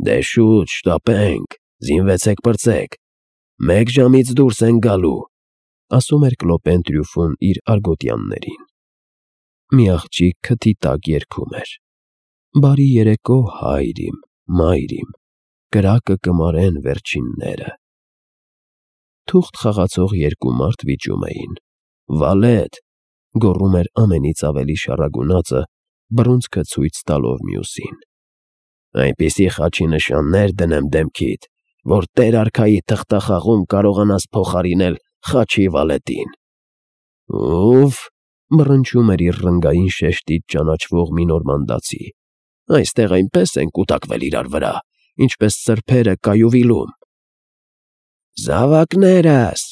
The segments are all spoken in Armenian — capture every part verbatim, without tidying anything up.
Դե շուտ շտապենք, զինվեցեք պրծեք, մեկ ժամից դուրս ենք գալու, ասում էր Կլոպեն Տրյուֆոն իր արգոտյաններին։ Մի աղջիկ քթի տակ երգում էր. «Բարի երեկո, հայր իմ, մայր իմ, կրակը կմարեն վերջինները»։ Թուղթ խաղացող երկու մարդ վիճում էին։ «Վալետ», գոռում էր ամենից ավելի շառագունածը, բռունցքը ցույց տալով մյուսին։ «Այնպիսի խաչի նշաններ դնեմ դեմքիդ, որ տեր֊արքայի թղթախաղում կարողանաս փոխարինել խաչի վալետին»։ «Ուֆ», մռնչում էր իր ռնգային շեշտից ճանաչվող մի նորմանդացի, «այստեղ այնպես են կուտակվել իրար վրա, ինչպես սրբերը կայուվիլում»։ «Զավակներս»,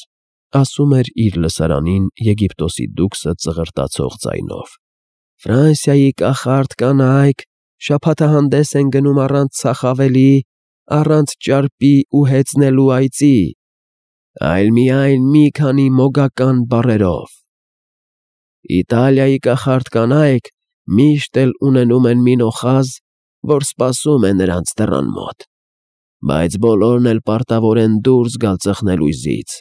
ասում էր իր լսարանին Եգիպտոսի դուքսը ծղրտացող ձայնով, «Ֆրանսիայի կախարդ կանայք շաբաթահանդես են գնում առանց ծախավելի, առանց ճարպի ու հեծնելու այծի, այլ միայն մի քանի մոգական բառերով։ Իտալիայի կախարդ կանայք միշտ էլ ունենում են մի նոխազ, որ սպասում է նրանց դռան մոտ, բայց բոլորն էլ պարտավոր են դուրս գալ ծխնելույզից»։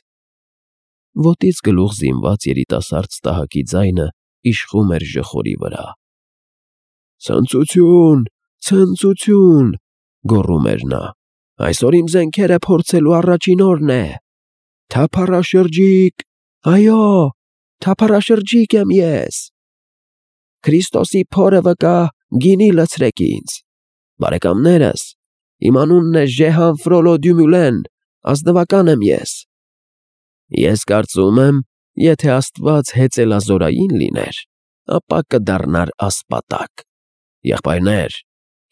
Ոտից գլուխ զինված երիտասարդ ստահակի ձայնը իշխում էր ժխորի վրա։ «Ցնծություն, ցնծություն», գոռում էր նա, «այսօր իմ զենքերը փորձելու առաջին օրն է։ Թափառաշրջիկ, այո, թափառաշրջիկ եմ ես։ Քրիստոսի փորը վկա, գինի լցրեք ինձ։ Բարեկամներս, իմ անունն է Ժեհան Ֆրոլո Դյումուլեն, ազնվական եմ ես։ Ես կարծում եմ, եթե Աստված հեծելազորային լիներ, ապա կդառնար ասպատակ։ Եղբայրներ,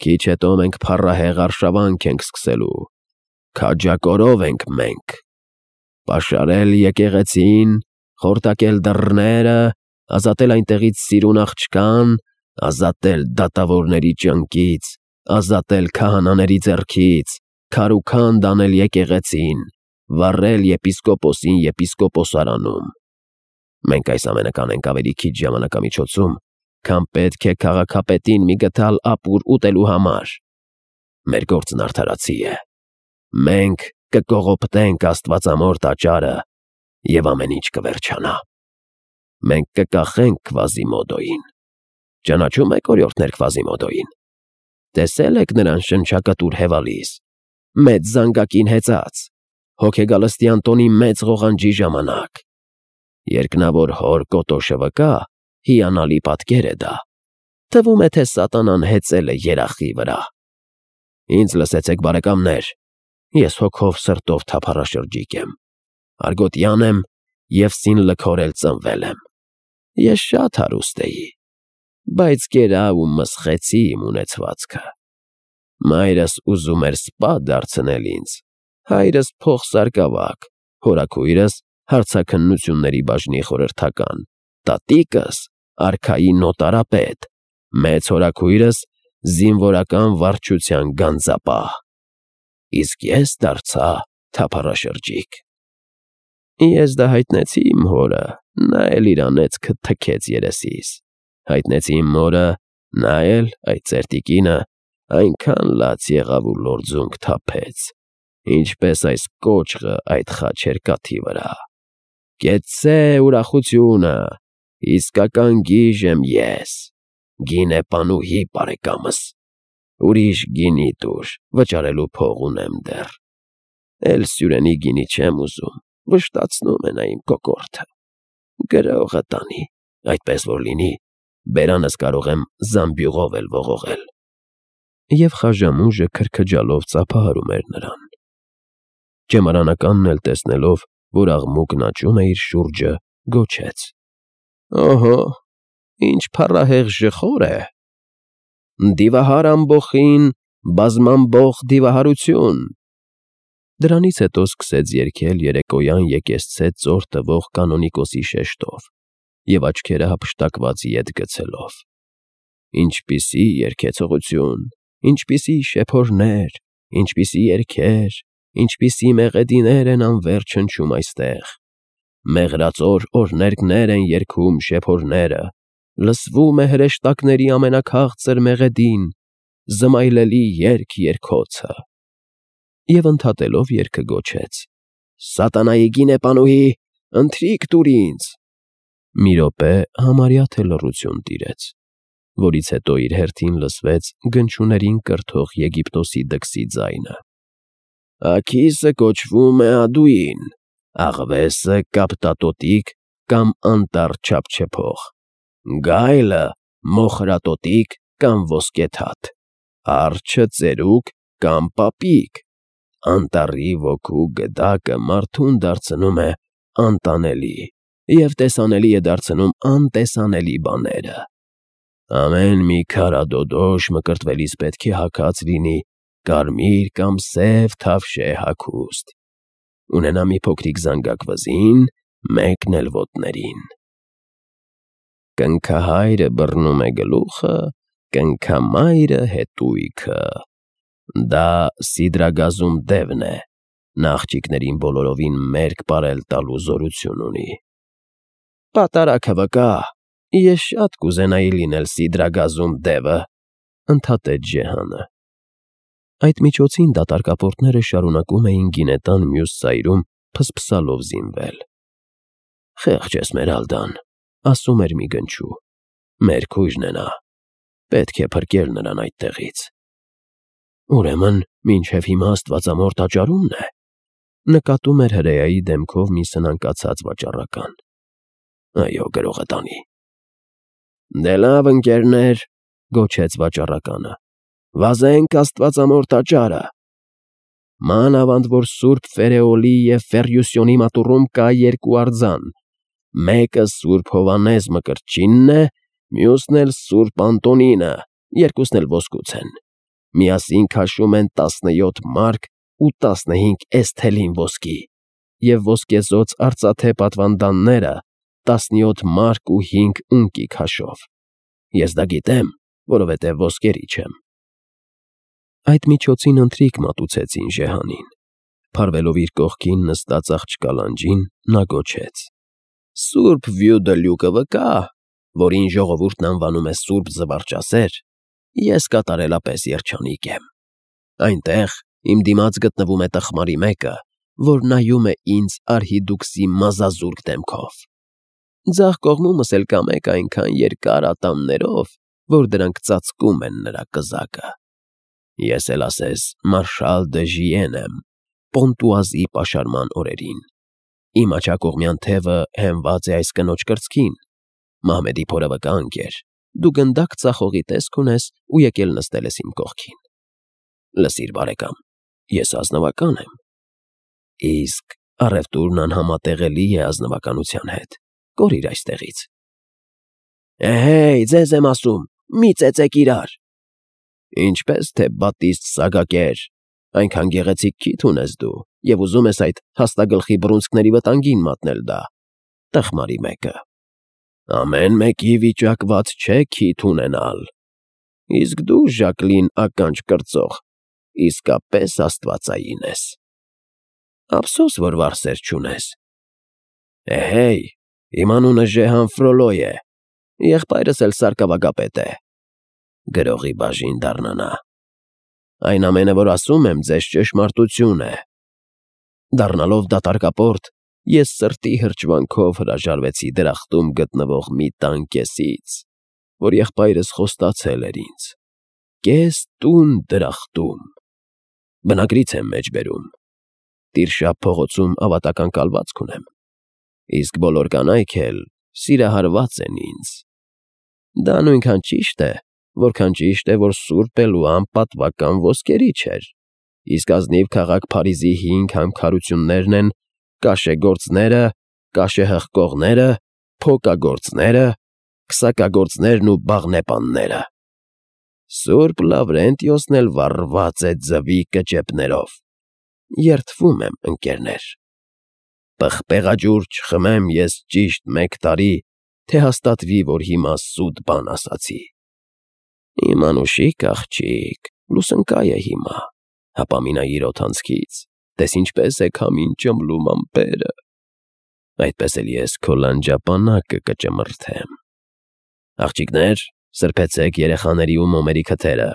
քիչ հետո մենք փառահեղ արշավանք ենք սկսելու, քաջակորով ենք մենք։ Պաշարել եկեղեցին, խորտակել դռները, ազատել այնտեղից սիրուն աղջկան, ազատել դատավորների ճանկից, ազատել քահանաների ձեռքից, քարուքանդ անել եկեղեցին, վառել եպիսկոպոսին եպիսկոպոսարանում։ Մենք այս ամենը կանենք ավելի քիչ ժամանակամիջոցում, քան պետք է քաղաքապետին մի գդալ ապուր ուտելու համար։ Մեր գործն արդարացի է։ Մենք կկողոպտենք աստվածամոր տաճարը, և ամեն ինչ կվերջանա։ Մենք կկախենք Քվազիմոդոյին։ Ճանաչում եք օրիորդներ Քվազիմոդոյին։ Տեսել եք նրան շնչակտուր հեվալիս, մեծ զանգակին հեծած, հոգեգալստյան տոնի մեծ ղողանջի ժամանակ։ Երկնավոր հոր կոտոշը վկա, հիանալի պատկեր է դա։ Թվում է, թե սատանան հեծել է երախի վրա։ Ինձ լսեցեք, բարեկամներ, ես հոգով սրտով թափառաշրջիկ եմ, արգոտյան եմ և սին լքորել ծնվել եմ։ Ես շատ հարուստ էի, բայց կերավ ու մսխեցի իմ ունեցվածքը։ Մայրս ուզում էր սպա դարձնել ինձ, հայրս փոխսարկավակ, հորաքույրս հարցաքննությունների բաժնի խորհրդական, տատիկս արքայի նոտարապետ, մեծ հորաքույրս զինվորական վարչության գանձապահ, իսկ ես դարձա թափառաշրջիկ։ Ես դա հայտնեցի իմ հորը, նա էլ իր անեծքը թքեց երեսիս, հայտնեցի իմ մորը, նա էլ, այդ ծերտիկինը, այնքան լաց եղավ ու լորձունք թափեց, ինչպես այս կոճղը այդ խաչերկաթի վրա։ Կեցցե ուրախությունը, իսկական գիժ եմ ես, գինեպանուհի բարեկամս, ուրիշ գինի տուր, վճարելու փող ունեմ դեռ, էլ սյուրենի գինի չեմ ուզում, վշտացնում է նա իմ կոկորդը, գրողը տանի, այդպես որ լինի, բերանս կարող եմ զամբյուղով էլ ողողել։ Եվ խաժամուժը քրքջալով ծափահարում էր նրան։ Ճեմարանականն էլ տեսնելով, որ աղմուկն աճում է իր շուրջը, գոչեց. «Օհո, ինչ փառահեղ ժխոր է։ Դիվահար ամբոխին, բազմամբոխ դիվահարություն»։ Դրանից հետո սկսեց երգել երեկոյան եկեսցե ծոր տվող կանոնիկոսի շեշտով և աչքերը հափշտակված ետ գցելով. Ինչպիսի երգեցողություն, ինչպիսի շեփորներ, ինչպիսի երգեր, ինչպիսի մեղեդիներ են անվերջ հնչում այստեղ, մեղրածոր օրհներգներ են երգում շեփորները, լսվում է հրեշտակների ամենաքաղցր մեղեդին, զմայլելի երգ երգոցը։ Եվ ընդհատելով երգը գոչեց. «Սատանայի գինեպանուհի, ընթրիք տուր ինձ»։ Մի րոպե համարյա թե լռություն տիրեց, որից հետո իր հերթին լսվեց գնչուներին կրթող Եգիպտոսի դքսի ձայնը. «Աքիսը կոչվում է Ադուին, աղվեսը կապտատոտիկ կամ անտառ չափչփող, գայլը մոխրատոտիկ կամ ոսկեթաթ, արջը ծերուկ կամ պապիկ, անտառի ոգու գդակը մարդուն դարձնում է անտանելի և տեսանելի է դարձնում անտեսանելի բաները։ Ամեն մի քարադոդոշ մկրտվելիս պետք է հագած լինի կարմիր կամ սև թավշե հագուստ, ունենա մի փոքրիկ զանգակ վզին, մեկն էլ ոտներին։ Կնքահայրը բռնում է գլուխը, կնքամայրը հետույքը։ Դա Սիդրագազում դևն է, նա աղջիկներին բոլորովին մերկ պարել տալու զորություն ունի»։ «Պատարագը վկա, ես շատ կուզենայի լինել Սիդրագազում դևը», ընդհատեց Ջեհանը։ Այդ միջոցին դատարկապորտները շարունակում էին գինետան մյուս ծայրում փսփսալով զինվել։ «Խեղճ Էսմերալդան», ասում էր մի գնչու, «մեր քույրն է նա, պետք է փրկել նրան այդտեղից»։ «Ուրեմն մինչև հիմա աստվածամոր տաճարումն է», նկատում էր հրեայի դեմքով մի սնանկացած վաճառական։ «Այո, գրողը տանի»։ «Դե լավ, ընկերներ», գոչեց վաճառականը, «վազենք աստվածամոր տաճարը։ Մանավանդ որ սուրբ Ֆերեոլի և Ֆերյուսյոնի մատուռում կա երկու արձան, մեկը սուրբ Հովհաննես Մկրտչինն է, մյուսն էլ սուրբ Անտոնինը, երկուսն էլ ոսկուց են, միասին քաշում են տասնյոթ մարկ ու տասնհինգ էսթելին ոսկի, և ոսկեզօծ արծաթե պատվանդանները տասնյոթ մարկ ու հինգ ունկի քաշով։ Ես դա գիտեմ, որովհետև ոսկերիչ եմ»։ Այդ միջոցին ընթրիք մատուցեցին Ժեհանին։ Փարվելով իր կողքին նստած աղջկա լանջին, նա գոչեց. «Սուրբ Վյուդելյուկը վկա, որին ժողովուրդն անվանում է Սուրբ Զվարճասեր, ես կատարելապես երջանիկ եմ։ Այնտեղ իմ դիմաց գտնվում է տխմարի մեկը, որ նայում է ինձ արհիդուքսի մազազուրկ դեմքով։ Ձախ կողմումս էլ կա մեկ այնքան երկար ատամներով, որ դրանք ծածկում են նրա կզակը։ Ես էլ ասես մարշալ դը Ժիեն եմ, Պոնտուազի պաշարման օրերին։ Իմ աջակողմյան թևը հենված է այս կնոջ կրծքին։ Մահմեդի փորը վկա, ընկեր, դու գնդակ ծախողի տեսք ունես ու եկել նստել ես իմ կողքին։ Լսիր, բարեկամ, ես ազնվական եմ։ Իսկ առևտուրն անհամատեղելի է ազնվականության հետ։ Կորիր այստեղից։ Էհեյ, ձեզ եմ ասում, մի ծեծեք իրար։ Ինչպես թե Բատիստ Սագակեր, այնքան գեղեցիկ քիթ ունես դու, և ուզում ես այդ հաստագլխի բռունցքների վտանգին մատնել դա, տխմարի մեկը։ Ամեն մեկի վիճակված չէ քիթ ունենալ։ Իսկ դու, Ժակլին ականջ կրծող, իսկապես աստվածային ես։ Ափսոս, որ վարսեր չունես։ Էհեյ, իմ անունը Ժեհան Ֆրոլո է, եղբայրս էլ սարկավագապետ է։ Գրողի բաժին դառնանա։ Այն ամենը, որ ասում եմ, ձեզ ճշմարտություն է։ Դառնալով դատարկապորտ, ես սրտի հրճվանքով հրաժարվեցի դրախտում գտնվող մի տան կեսից, որ եղբայրս խոստացել էր ինձ։ Կես տուն դրախտում։ Բնագրից եմ մեջբերում։ Տիրշա փողոցում ավատական կալվածք ունեմ, իսկ բոլոր կանայք էլ սիրահարված են ինձ։ Դա նույնքան ճիշտ է, որքան ճիշտ է, որ սուրբ էլ ու անպատվական ոսկերիչ էր, իսկ ազնիվ քաղաք Փարիզի հինգ համքարություններն են կաշեգործները, կաշեհղկողները, փոկագործները, քսակագործներն ու բաղնեպանները։ Սուրբ Լավրենտիոսն էլ վառված է ձվի կճեպներով։ Երդվում եմ, ընկերներ։ Պղպեղաջուր չխմեմ ես ճիշտ մեկ տարի, թե հաստատվի, որ հիմա սուտ բան ասացի։ Իմ անուշիկ աղջիկ, լուսնկայ է հիմա, հապամինա իր օդանցքից, տես ինչպես է քամին ճմլում ամպերը։ Այդպես էլ ես քո լանջապանակը կճմրթեմ։ Աղջիկներ, սրբեցեք երեխաների ու մոմերի քթերը։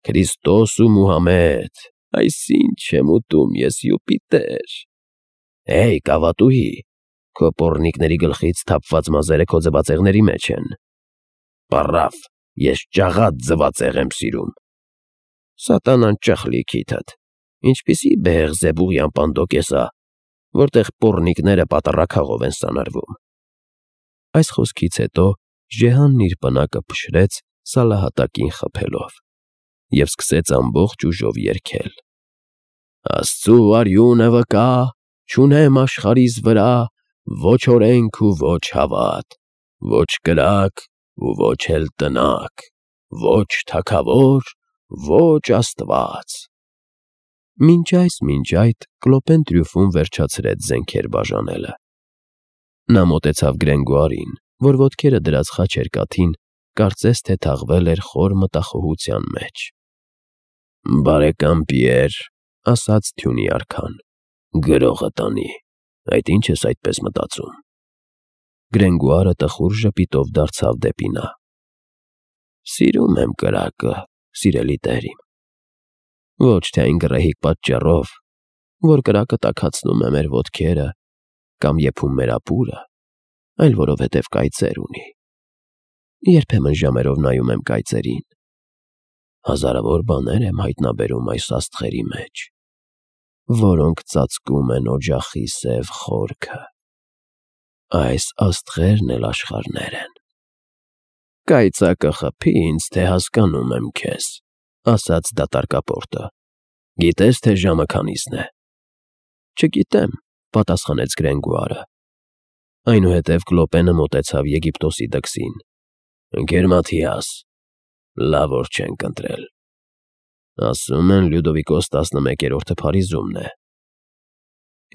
Քրիստոս ու Մուհամեդ, այսինչ եմ ուտում ես Յուպիտեր։ Հեյ, կավատուհի, քո պոռնիկների գլխից թափված մազերը քո ձվածեղների մեջ են։ Պառավ, ես ճաղատ ձվածեղ եմ սիրում։ Սատանան ճխլի քիթդ, ինչպիսի Բեհեղզեբուղյան պանդոկ է սա, որտեղ պոռնիկները պատառաքաղով են սանրվում։ Այս խոսքից հետո Ժեհանն իր պնակը փշրեց սալահատակին խփելով և սկսեց ամբողջ ուժով երգել. Աստծու արյունը վկա, չունեմ աշխարհիս վրա ոչ օրենք ու ոչ հավատ, ոչ կրակ ու ոչ էլ տնակ, ոչ թագավոր, ոչ Աստված։ Մինչ այս, մինչ այդ Կլոպեն Տրյուֆոն վերջացրեց զենքեր բաժանելը։ Նա մոտեցավ Գրենգոարին, որ ոտքերը դրած խաչերկաթին կարծես թե թաղվել էր խոր մտախոհության մեջ։ Բարեկամ Պիեր, ասաց թյունի արքան, գրողը տանի, այդ ինչ ես այդպես մտածում։ Գրենգոարը տխուր ժպիտով դարձավ դեպի նա. Սիրում եմ կրակը, սիրելի տեր իմ, ոչ թե այն գռեհիկ պատճառով, որ կրակը տաքացնում է մեր ոտքերը կամ եփում մեր ապուրը, այլ որովհետև կայծեր ունի։ Երբեմն ժամերով նայում եմ կայծերին, հազարավոր բաներ եմ հայտնաբերում այս աստղերի մեջ, որոնք ծածկում են օջախի սև խորքը։ Այս աստղերն էլ աշխարհներ են։ Կայծակը խփի ինձ, թե հասկանում եմ քեզ, ասաց դատարկապորտը։ Գիտես, թե ժամը քանիսն է։ Չգիտեմ, պատասխանեց Գրենգոարը։ Այնուհետև Կլոպենը մոտեցավ Եգիպտոսի դքսին։ Ընկեր Մաթիաս, լավ օր չենք ընտրել։ Ասում են Լյուդովիկոս տասնմեկերորդը Փարիզումն է։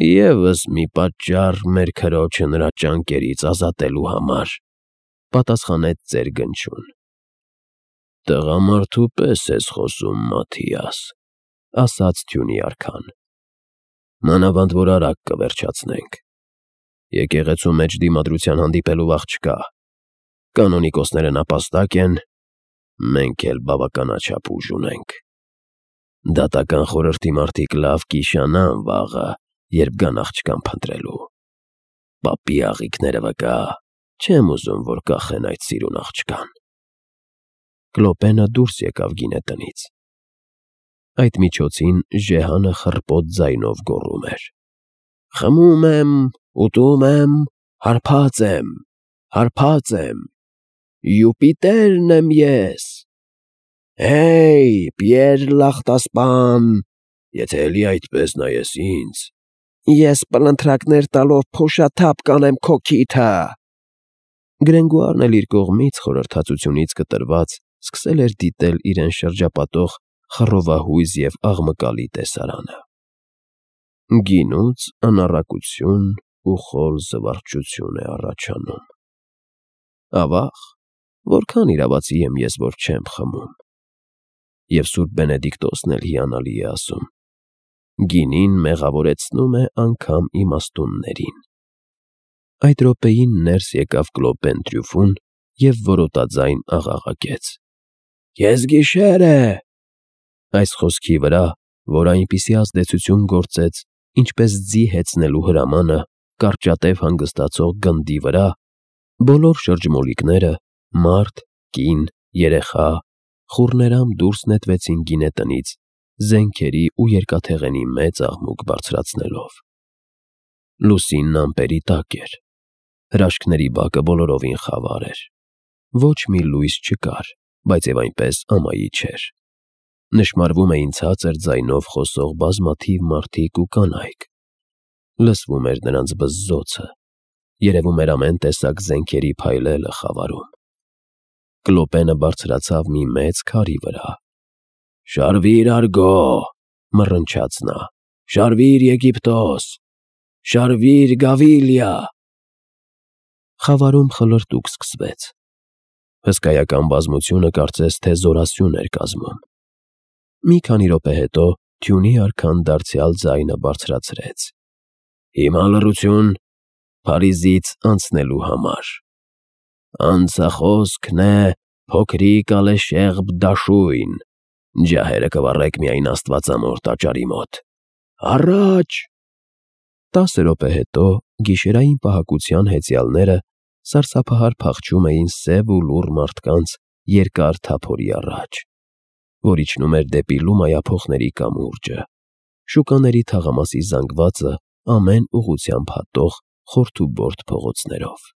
Եվս մի պատճառ մեր քրոջը նրա ճանկերից ազատելու համար, պատասխանեց ծեր Գնչուն։ Տղամարդու պես ես խոսում, Մաթիաս, ասաց թյունի արքան։ Մանավանդ որ արագ կվերջացնենք։ Եկեղեցու մեջ դիմադրության հանդիպելու վաղ չկա։ Կանոնիկոսները նապաստակ են, մենք էլ բավականաչափ ուժ ունենք։ Դատական խորհրդի մարդիկ լավ կիշանան վաղը, երբ գան աղջկան փնտրելու։ Պապի աղիքները վկա, չեմ ուզում, որ կախեն այդ սիրուն աղջկան։ Կլոպենը դուրս եկավ գինետնից։ Այդ միջոցին Ժեհանը խռպոտ ձայնով գոռում էր. Խմում եմ, ուտում եմ, հարբած եմ, հարբած եմ, Յուպիտերն եմ ես։ Հեյ, Պիեր Լախտասպան, եթե էլի այդպես նայես ինձ, ես պլնթրակներ տալով փոշաթափ կանեմ քո քիթը։ Գրենգոարն էլ իր կողմից խորհրդածությունից կտրված սկսել էր դիտել իրեն շրջապատող խռովահույզ և աղմկալի տեսարանը։ Գինուց անառակություն ու խոր զվարճություն է առաջանում։ Ավաղ, որքան իրավացի եմ ես, որ չեմ խմում։ Եվ Սուրբ Բենեդիկտոսն էլ հիանալի է ասում. գինին մեղավորեցնում է անգամ իմաստուններին։ Այդ րոպեին ներս եկավ Կլոպեն Տրյուֆոն և որոտաձայն աղաղակեց. Կես գիշեր է։ Այս խոսքի վրա, որ այնպիսի ազդեցություն գործեց, ինչպես ձի հեծնելու հրամանը կարճատև հանգստացող գնդի վրա, բոլոր շրջմոլիկները, մարդ, կին, երեխա, խուռներամ դուրս նետվեցին գինետնից, զենքերի ու երկաթեղենի մեծ աղմուկ բարձրացնելով։ Լուսինն ամպերի տակ էր։ Հրաշքների բակը բոլորովին խավար էր։ Ոչ մի լույս չկար, բայց և այնպես ամայի չէր։ Նշմարվում էին ցածր ձայնով խոսող բազմաթիվ մարդիկ ու կանայք։ Լսվում էր նրանց բզզոցը, երևում էր ամեն տեսակ զենքերի փայլելը խավարում։ Կլոպենը բարձրացավ մի մեծ քարի վրա։ Շարվի՛ր, արգո, մռնչաց նա, շարվի՛ր Եգիպտոս, շարվի՛ր Գավիլիա։ Խավարում խլրտուկ սկսվեց։ Հսկայական բազմությունը կարծես թե զորասյուն էր կազմում։ Մի քանի րոպե հետո թյունի արքան դարձյալ ձայնը բարձրացրեց. Հիմա լռություն, Փարիզից անցնելու համար։ Անցախոսքն է փոքրիկ Ալեշեղբ Դաշույն, Ջահերը կվառեք միայն Աստվածամոր տաճարի մոտ։ Առաջ… Տասը րոպե հետո գիշերային պահակության հեծյալները սարսափահար փախչում էին սև ու լուռ մարդկանց երկար թափորի առաջ, որ իջնում էր դեպի լումայափոխների կամուրջը, շուկաների թաղամասի զանգվածը ամեն ուղղությամբ հատող խորթուբորդ փողոցներով։